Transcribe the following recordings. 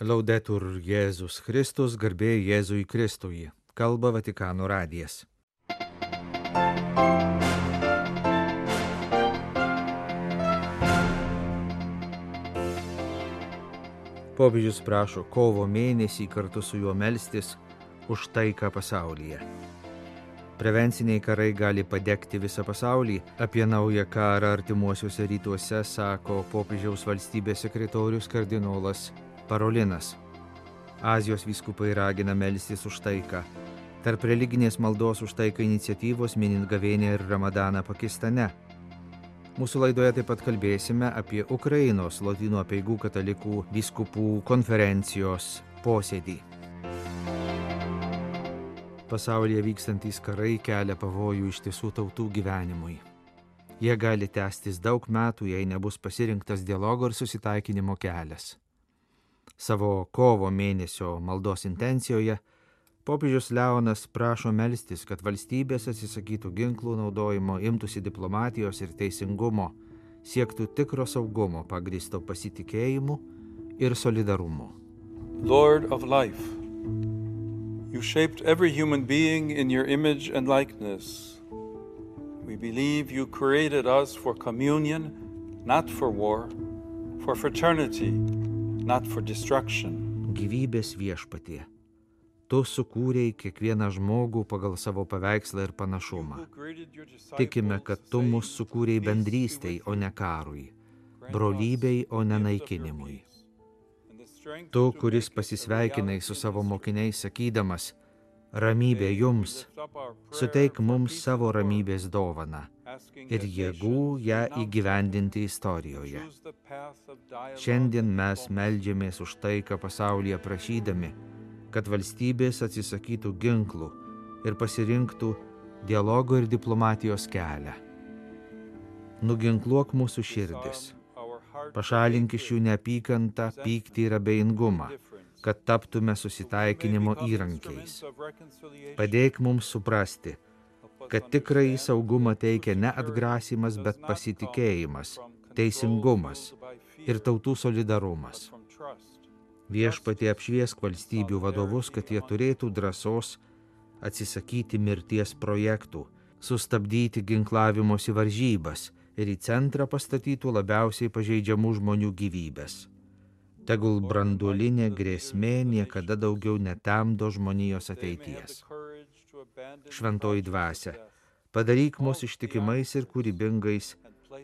Laudetur Jėzus Kristus, garbė Jėzui Kristui. Kalba Vatikano radijas. Popiežius prašo kovo mėnesį kartu su juo melstis už taiką pasaulyje. Prevenciniai karai gali padegti visą pasaulį. Apie naują karą artimuosiuose rytuose sako popiežiaus valstybės sekretorius kardinolas Parolinas. Azijos vyskupai ragina melstis už taiką. Tarp religinės maldos už taiką iniciatyvos minint gavėnią ir Ramadaną Pakistane. Mūsų laidoje taip pat kalbėsime apie Ukrainos Lotynų apeigų katalikų vyskupų konferencijos posėdį. Pasaulyje vykstantys karai kelia pavojų ištisų tautų gyvenimui. Jie gali tęstis daug metų, jei nebus pasirinktas dialogo ir susitaikinimo kelias. Savo kovo mėnesio maldos intencijoje popiežius Leonas prašo melstis, kad valstybės atsisakytų ginklų naudojimo, imtųsi diplomatijos ir teisingumo, siektų tikro saugumo pagrįsto pasitikėjimu ir solidarumu. Lord of life, you shaped every human being in your image and likeness. We believe you created us for communion, not for war, for fraternity, not for destruction. Gyvybės viešpatie, tu sukūrei kiekvieną žmogų pagal savo paveikslą ir panašumą. Tikime, kad tu mus sukūrei bendrystei, o ne karui, brolybei, o ne naikinimui. Tu, kuris pasisveikinai su savo mokiniais sakydamas, ramybė jums, suteik mums savo ramybės dovaną ir jėgų ją įgyvendinti istorijoje. Šiandien mes meldžiamės už taiką pasaulyje prašydami, kad valstybės atsisakytų ginklų ir pasirinktų dialogo ir diplomatijos kelią. Nuginkluok mūsų širdis, pašalink iš jų neapykantą, pyktį ir abejingumą, kad taptume susitaikinimo įrankiais. Padėk mums suprasti, kad tikrąjį saugumą teikia ne atgrasymas, bet pasitikėjimas, teisingumas ir tautų solidarumas. Viešpatie apšviesk valstybių vadovus, kad jie turėtų drąsos atsisakyti mirties projektų, sustabdyti ginklavimosi varžybas ir į centrą pastatytų labiausiai pažeidžiamų žmonių gyvybės. Tegul branduolinė grėsmė niekada daugiau netemdo žmonijos ateities. Šventoji dvasia, padaryk mus ištikimais ir kūrybingais,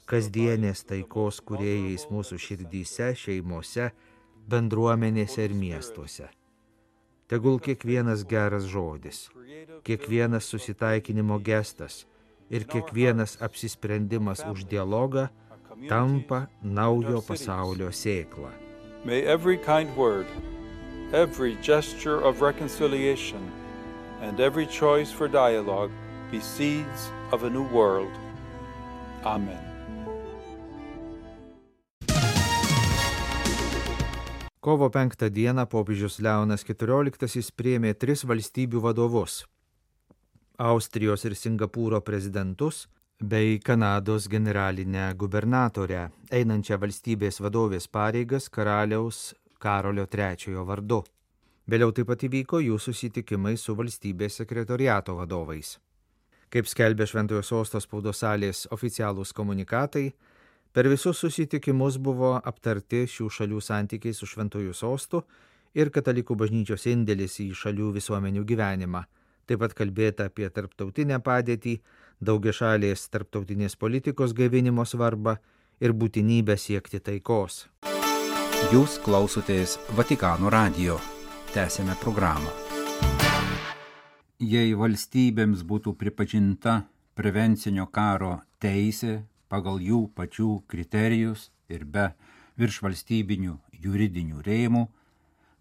kasdienės taikos kūrėjais mūsų širdyse, šeimose, bendruomenėse ir miestuose. Tegul kiekvienas geras žodis, kiekvienas susitaikinimo gestas ir kiekvienas apsisprendimas už dialogą tampa naujo pasaulio sėkla. May every kind word, every gesture of reconciliation, and every choice for dialogue be seeds of a new world. Amen. Kovo 5 dieną popiežius Leonas XIV priėmė 3 valstybių vadovus – Austrijos ir Singapūro prezidentus bei Kanados generalinę gubernatorę, einančią valstybės vadovės pareigas karaliaus Karolio III vardu. Vėliau taip pat įvyko jų susitikimai su valstybės sekretoriato vadovais. Kaip skelbė Šventojo Sosto spaudos salės oficialūs komunikatai, per visus susitikimus buvo aptarti šių šalių santykiai su Šventojo Sostu ir katalikų bažnyčios indėlis į šalių visuomenių gyvenimą. Taip pat kalbėta apie tarptautinę padėtį, daugiašalės tarptautinės politikos gaivinimo svarbą ir būtinybę siekti taikos. Jūs klausotės Vatikano radijo. Tęsėme programą. Jei valstybėms būtų pripažinta prevencinio karo teisė pagal jų pačių kriterijus ir be viršvalstybinių juridinių rėmų,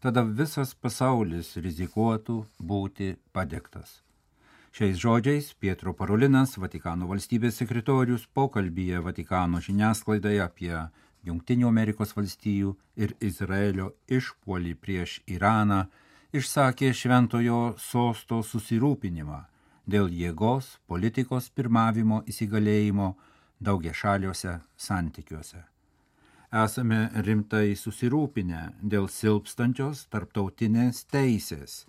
tada visas pasaulis rizikuotų būti padegtas. Šiais žodžiais Pietro Parolinas, Vatikano valstybės sekretorius, pokalbyje Vatikano žiniasklaidoje apie Jungtinių Amerikos valstijų ir Izraelio išpuolį prieš Iraną išsakė Šventojo Sosto susirūpinimą dėl jėgos politikos pirmavimo įsigalėjimo daugiašaliuose santykiuose. Esame rimtai susirūpinę dėl silpstančios tarptautinės teisės.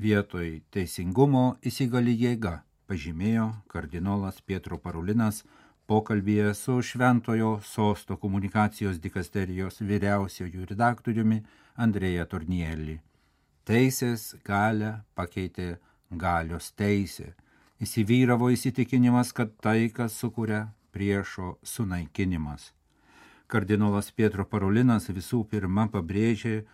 Vietoj teisingumo įsigali jėga, pažymėjo kardinolas Pietro Parolinas pokalbyje su Šventojo Sosto komunikacijos dikasterijos vyriausiuoju redaktoriumi Andrėja Tornielli. Teisės galią pakeitė galios teisė. Įsivyravo įsitikinimas, kad taiką sukuria priešo sunaikinimas. Kardinolas Pietro Parolinas visų pirma pabrėžė,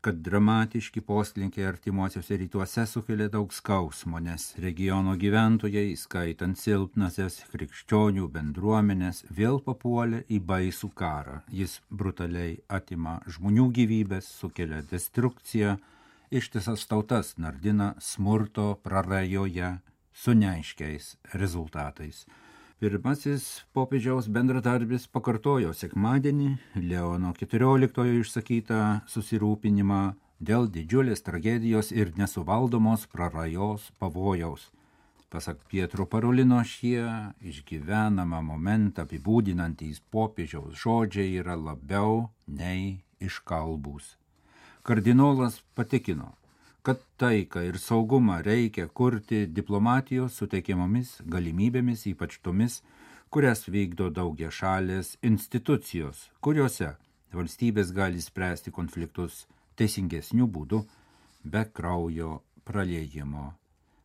kad dramatiški poslinkiai artimuosiuose rytuose sukelia daug skausmo, nes regiono gyventojai, skaitant silpnasias krikščionių bendruomenės, vėl papuolė į baisų karą. Jis brutaliai atima žmonių gyvybės, sukelia destrukciją, ištisas tautas nardina smurto prarajoje su neaiškiais rezultatais. Pirmasis popiežiaus bendradarbis pakartojo sekmadienį Leono XIV išsakytą susirūpinimą dėl didžiulės tragedijos ir nesuvaldomos prarajos pavojaus. Pasak Pietro Parolino, šie išgyvenamą momentą apibūdinantys popiežiaus žodžiai yra labiau nei iškalbūs. Kardinolas patikino, kad taiką ir saugumą reikia kurti diplomatijos suteikiamomis galimybėmis, ypač tomis, kurias vykdo daugiašalės institucijos, kuriuose valstybės gali spręsti konfliktus teisingesnių būdų, be kraujo praliejimo.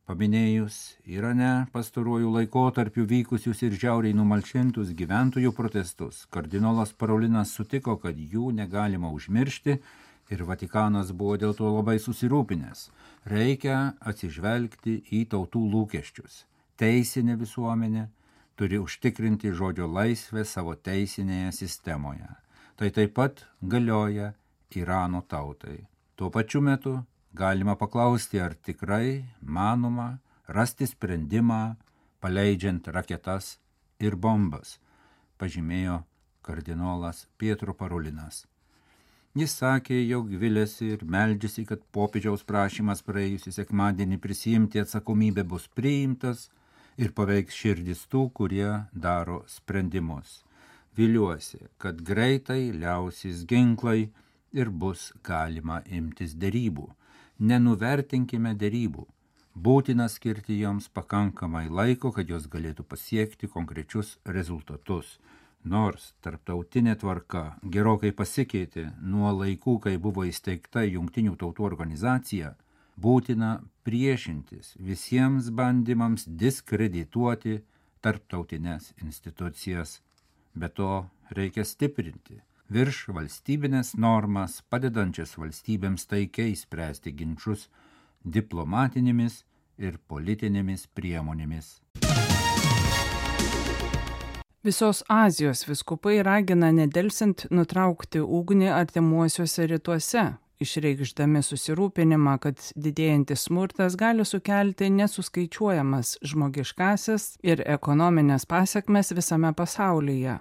Paminėjus Irane pastaruoju laikotarpiu vykusius ir žiauriai numalšintus gyventojų protestus, kardinolas Parolinas sutiko, kad jų negalima užmiršti, ir Vatikanas buvo dėl to labai susirūpinęs. Reikia atsižvelgti į tautų lūkesčius. Teisinė visuomenė turi užtikrinti žodžio laisvę savo teisinėje sistemoje. Tai taip pat galioja Irano tautai. Tuo pačiu metu galima paklausti, ar tikrai manoma rasti sprendimą, paleidžiant raketas ir bombas, pažymėjo kardinolas Pietro Parolinas. Jis sakė, jog viliasi ir meldžiasi, kad popiežiaus prašymas praėjusį sekmadienį prisiimti atsakomybę bus priimtas ir paveiks širdis tų, kurie daro sprendimus. Viliuosi, kad greitai liausis ginklai ir bus galima imtis derybų. Nenuvertinkime derybų. Būtina skirti joms pakankamai laiko, kad jos galėtų pasiekti konkrečius rezultatus. Nors tarptautinė tvarka gerokai pasikeitė nuo laikų, kai buvo įsteigta Jungtinių tautų organizacija, būtina priešintis visiems bandymams diskredituoti tarptautinės institucijas. Be to reikia stiprinti virš valstybinės normas, padedančias valstybėms taikiai spręsti ginčus diplomatinėmis ir politinėmis priemonėmis. Visos Azijos vyskupai ragina nedelsiant nutraukti ugnį artimuosiuose rytuose, išreikšdami susirūpinimą, kad didėjantis smurtas gali sukelti nesuskaičiuojamas žmogiškąsias ir ekonominės pasekmes visame pasaulyje.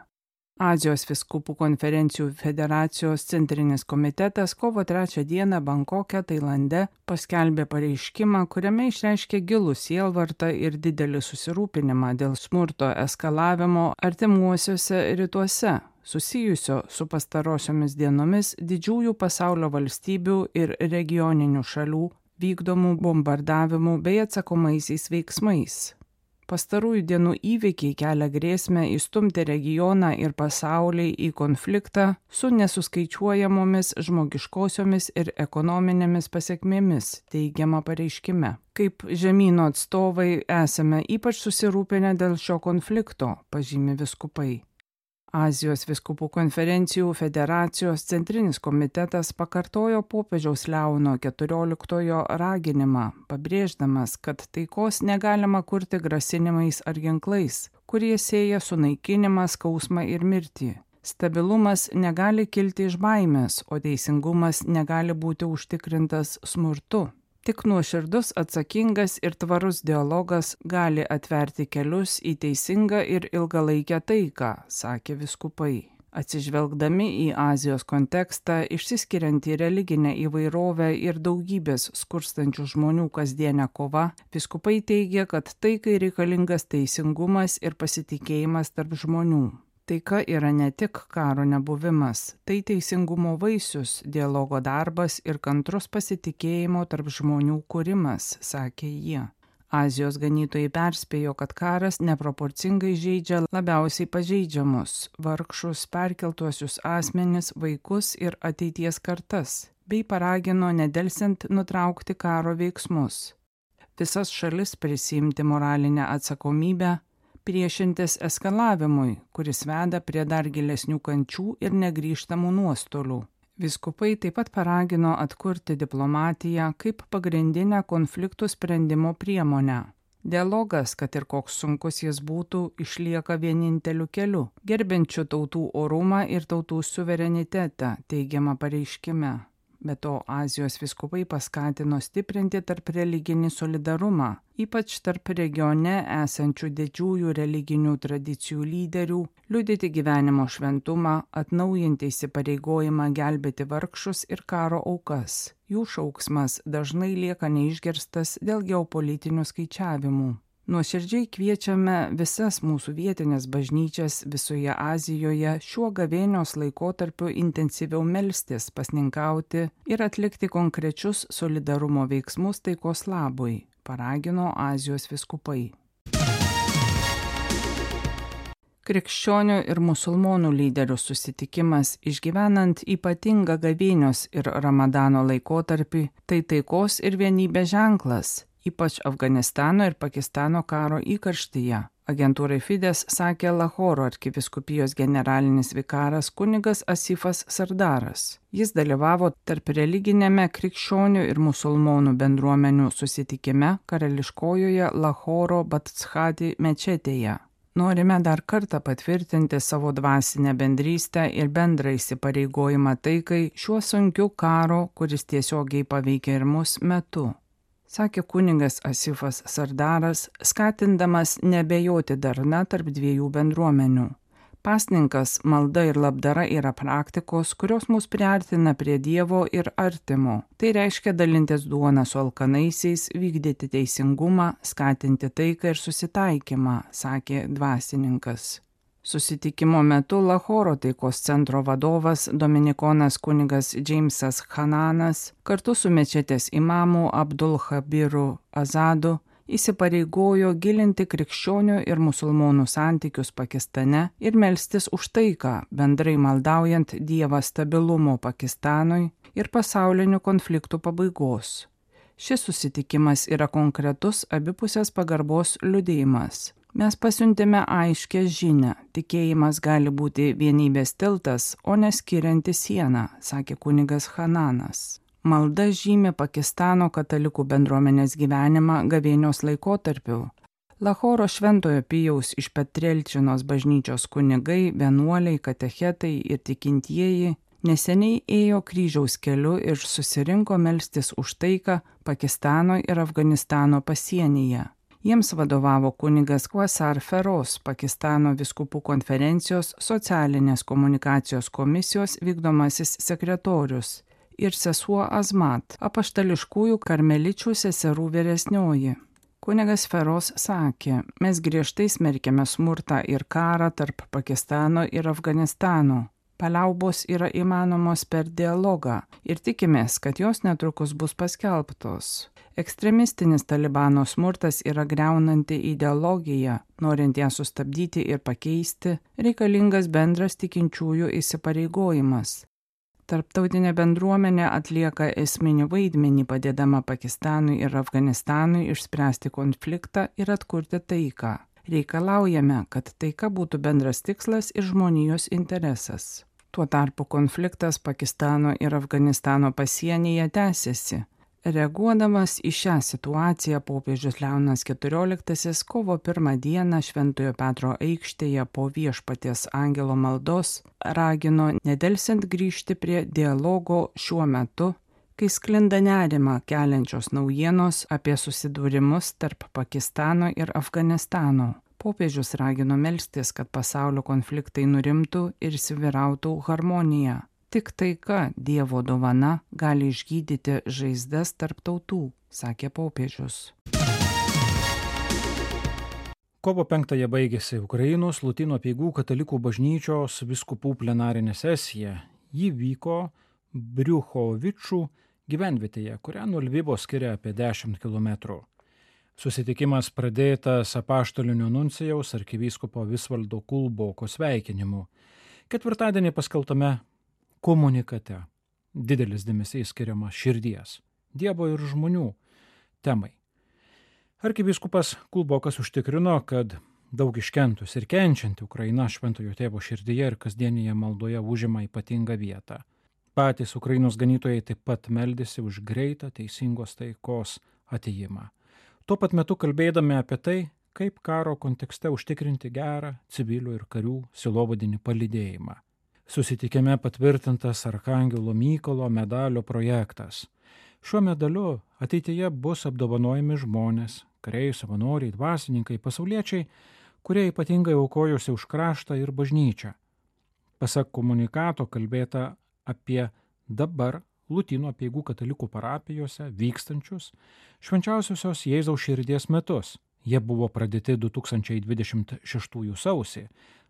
Azijos vyskupų konferencijų federacijos centrinis komitetas kovo 3 dieną Bankoke, Tailande, paskelbė pareiškimą, kuriame išreiškė gilų sielvartą ir didelį susirūpinimą dėl smurto eskalavimo artimuosiuose rytuose, susijusio su pastarosiomis dienomis didžiųjų pasaulio valstybių ir regioninių šalių vykdomų bombardavimų bei atsakomaisiais veiksmais. Pastarųjų dienų įvykiai kelia grėsmę įstumti regioną ir pasaulį į konfliktą su nesuskaičiuojamomis žmogiškosiomis ir ekonominėmis pasekmėmis, teigiama pareiškime. Kaip žemyno atstovai esame ypač susirūpinę dėl šio konflikto, pažymi vyskupai. Azijos vyskupų konferencijų federacijos centrinis komitetas pakartojo popiežiaus Leono XIV raginimą, pabrėždamas, kad taikos negalima kurti grasinimais ar ginklais, kurie sieja sunaikinimą, skausmą ir mirtį. Stabilumas negali kilti iš baimės, o teisingumas negali būti užtikrintas smurtu. Tik nuoširdus, atsakingas ir tvarus dialogas gali atverti kelius į teisingą ir ilgalaikę taiką, sakė vyskupai. Atsižvelgdami į Azijos kontekstą, išsiskiriantį religinę įvairovę ir daugybės skurstančių žmonių kasdienę kovą, vyskupai teigia, kad taikai reikalingas teisingumas ir pasitikėjimas tarp žmonių. Taika yra ne tik karo nebuvimas, tai teisingumo vaisius, dialogo darbas ir kantrus pasitikėjimo tarp žmonių kūrimas, sakė jie. Azijos ganytojai perspėjo, kad karas neproporcingai žeidžia labiausiai pažeidžiamus – vargšus, perkeltuosius asmenis, vaikus ir ateities kartas, bei paragino nedelsiant nutraukti karo veiksmus. Visas šalis prisiimti moralinę atsakomybę, priešintis eskalavimui, kuris veda prie dar gilesnių kančių ir negrįžtamų nuostolių. Vyskupai taip pat paragino atkurti diplomatiją kaip pagrindinę konfliktų sprendimo priemonę. Dialogas, kad ir koks sunkus jis būtų, išlieka vieninteliu keliu, gerbiančiu tautų orumą ir tautų suverenitetą, teigiama pareiškime. Be to, Azijos vyskupai paskatino stiprinti tarp religinį solidarumą, ypač tarp regione esančių didžiųjų religinių tradicijų lyderių, liudyti gyvenimo šventumą, atnaujinti įsipareigojimą gelbėti vargšus ir karo aukas. Jų šauksmas dažnai lieka neišgirstas dėl geopolitinių skaičiavimų. Nuoširdžiai kviečiame visas mūsų vietinės bažnyčias visoje Azijoje šiuo gavėnios laikotarpiu intensyviau melstis, pasninkauti ir atlikti konkrečius solidarumo veiksmus taikos labui, paragino Azijos vyskupai. Krikščionių ir musulmonų lyderių susitikimas išgyvenant ypatingą gavėnios ir Ramadano laikotarpį, tai taikos ir vienybės ženklas, ypač Afganistano ir Pakistano karo įkarštyje. Agentūrai Fides sakė Lahoro arkivyskupijos generalinis vikaras kunigas Asifas Sardaras. Jis dalyvavo tarp religinėme krikščionių ir musulmonų bendruomenių susitikime karališkojoje Lahoro Batshati mečetėje. Norime dar kartą patvirtinti savo dvasinę bendrystę ir bendrą įsipareigojimą taikai šiuo sunkiu karo, kuris tiesiogiai paveikia ir mus metu, sakė kunigas Asifas Sardaras, skatindamas nebejoti darna tarp dviejų bendruomenių. Pasninkas, malda ir labdara yra praktikos, kurios mus priartina prie Dievo ir artimo. Tai reiškia dalintis duoną su alkanaisiais, vykdyti teisingumą, skatinti taiką ir susitaikymą, sakė dvasininkas. Susitikimo metu Lahoro taikos centro vadovas dominikonas kunigas Džeimsas Hananas kartu su mečetės imamu Abdul Khabiru Azadu įsipareigojo gilinti krikščionių ir musulmonų santykius Pakistane ir melstis už taiką, bendrai maldaujant Dievą stabilumo Pakistanui ir pasaulinių konfliktų pabaigos. Šis susitikimas yra konkretus abipusės pagarbos liudijimas. Mes pasiuntėme aiškę žinią, tikėjimas gali būti vienybės tiltas, o neskirianti sieną, sakė kunigas Hananas. Malda žymi Pakistano katalikų bendruomenės gyvenimą gavėnios laikotarpiu. Lahoro Šventojo Pijaus iš Petrelčinos bažnyčios kunigai, vienuoliai, katechetai ir tikintieji neseniai ėjo kryžiaus keliu ir susirinko melstis už taiką Pakistano ir Afganistano pasienyje. Jiems vadovavo kunigas Quasar Feroz, Pakistano vyskupų konferencijos socialinės komunikacijos komisijos vykdomasis sekretorius, ir sesuo Azmat, apaštališkųjų karmeličių seserų vyresnioji. Kunigas Feroz sakė, mes griežtai smerkiame smurtą ir karą tarp Pakistano ir Afganistano. Paliaubos yra įmanomos per dialogą ir tikimės, kad jos netrukus bus paskelbtos. Ekstremistinis Talibano smurtas yra griaunanti ideologija, norint ją sustabdyti ir pakeisti, reikalingas bendras tikinčiųjų įsipareigojimas. Tarptautinė bendruomenė atlieka esminį vaidmenį padėdama Pakistanui ir Afganistanui išspręsti konfliktą ir atkurti taiką. Reikalaujame, kad taika būtų bendras tikslas ir žmonijos interesas. Tuo tarpu konfliktas Pakistano ir Afganistano pasienyje tęsiasi. Reaguodamas į šią situaciją, popiežius Leonas XIV kovo 1 dieną Šventojo Petro aikštėje po Viešpaties angelo maldos ragino nedelsiant grįžti prie dialogo šiuo metu, kai sklinda nerimą keliančios naujienos apie susidūrimus tarp Pakistano ir Afganistano. Popiežius ragino melstis, kad pasaulio konfliktai nurimtų ir įsivyrautų harmonija. Tik taika, Dievo dovana, gali išgydyti žaizdas tarp tautų, sakė popiežius. Kovo 5 baigėsi Ukrainos Lotynų apeigų katalikų bažnyčios vyskupų plenarinė sesija. Ji vyko Briuchovičų gyvenvietėje, kurią nuo Lvivo skiria apie 10 km. Susitikimas pradėtas apaštalinio nuncijaus arkivyskupo Visvaldo Kulboko sveikinimu. Ketvirtadienį paskelbtame komunikate didelis dėmesys skiriamas širdies, Dievo ir žmonių temai. Arkivyskupas Kulbokas užtikrino, kad daug iškentus ir kenčianti Ukraina Šventojo Tėvo širdyje ir kasdienėje maldoje užima ypatingą vietą. Patys Ukrainos ganytojai taip pat meldėsi už greitą teisingos taikos atėjimą. Tuo pat metu kalbėdami apie tai, kaip karo kontekste užtikrinti gerą civilių ir karių sielovadinį palydėjimą. Susitikime patvirtintas Arkangelo Mykolo medalio projektas. Šiuo medaliu ateityje bus apdovanojami žmonės, kariai, savanoriai, dvasininkai, pasauliečiai, kurie ypatingai aukojosi už kraštą ir bažnyčią. Pasak komunikato kalbėta apie dabar Lotynų apeigų katalikų parapijose vykstančius Švenčiausiosios Jėzaus širdies metus. Jie buvo pradėti 2026 sausį.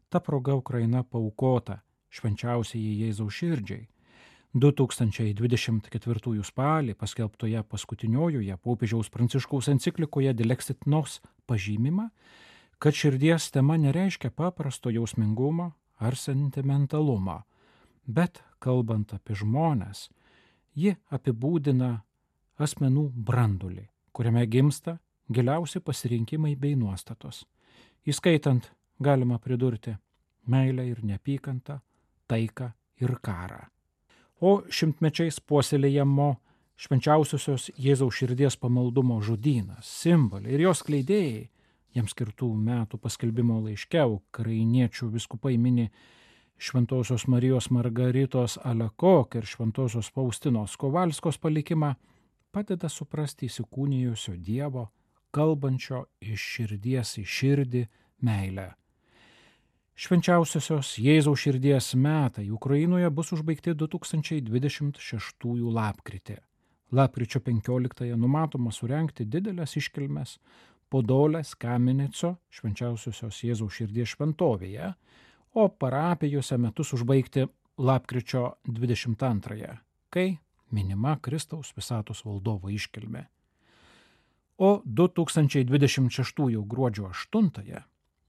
Ta proga Ukraina paaukota Švenčiausiai Jėzaus širdžiai. 2024 spalį paskelbtoje paskutiniojoje popiežiaus Pranciškaus enciklikoje Dilexit Nos pažymima, kad širdies tema nereiškia paprasto jausmingumo ar sentimentalumo, bet kalbant apie žmones, ji apibūdina asmenų brandulį, kuriame gimsta giliausi pasirinkimai bei nuostatos, įskaitant, galima pridurti, meilę ir neapykantą, taiką ir karą. O šimtmečiais puoselėjamo Švenčiausiosios Jėzaus širdies pamaldumo žodynas, simboliai ir jos skleidėjai, jiems skirtų metų paskelbimo laiške ukrainiečių vyskupai mini Šventosios Marijos Margaritos Alekok ir Šventosios Faustinos Kovalskos palikimą, padeda suprasti įsikūnijusio Dievo, kalbančio iš širdies į širdį meilę. Švenčiausiosios Jėzaus širdies metai Ukrainoje bus užbaigti 2026 lapkritį. Lapkričio 15 numatoma surengti didelės iškilmes Podolės Kamenico Švenčiausiosios Jėzaus širdies šventovėje, o parapijose metus užbaigti lapkričio 22, kai minima Kristaus visatos valdovo iškilmė. O 2026 gruodžio 8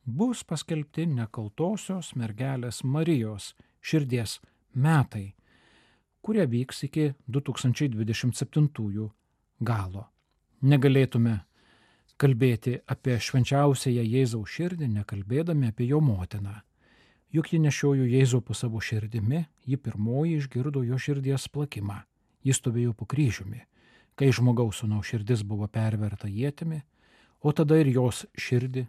bus paskelbti nekaltosios mergelės Marijos širdies metai, kurie vyks iki 2027 galo. Negalėtume kalbėti apie švenčiausiąją Jėzaus širdį, nekalbėdami apie jo motiną. Juk ji nešiojo Jėzų po savo širdimi, ji pirmoji išgirdo jo širdies plakimą. Jis stovėjo po kryžiumi, kai žmogaus sūnaus širdis buvo perverta ietimi, o tada ir jos širdį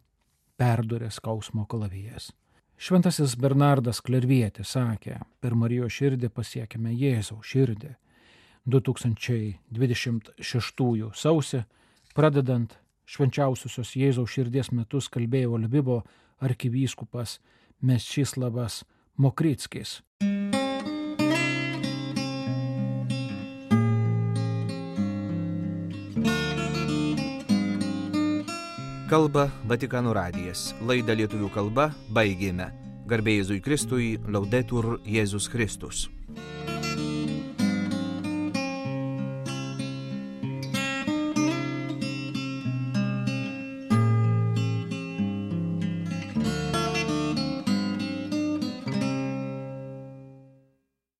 perdurė skausmo kalavijas. Šventasis Bernardas Klervietis sakė, per Marijos širdį pasiekėme Jėzaus širdį. 2026 sausį, pradedant Švenčiausiosios Jėzaus širdies metus, kalbėjo Lvivo arkivyskupas Mečislavas Mokrickis. Kalba Vatikano radijas. Laidą lietuvių kalba baigėme. Garbė Jėzui Kristui, Laudetur Jėzus Kristus.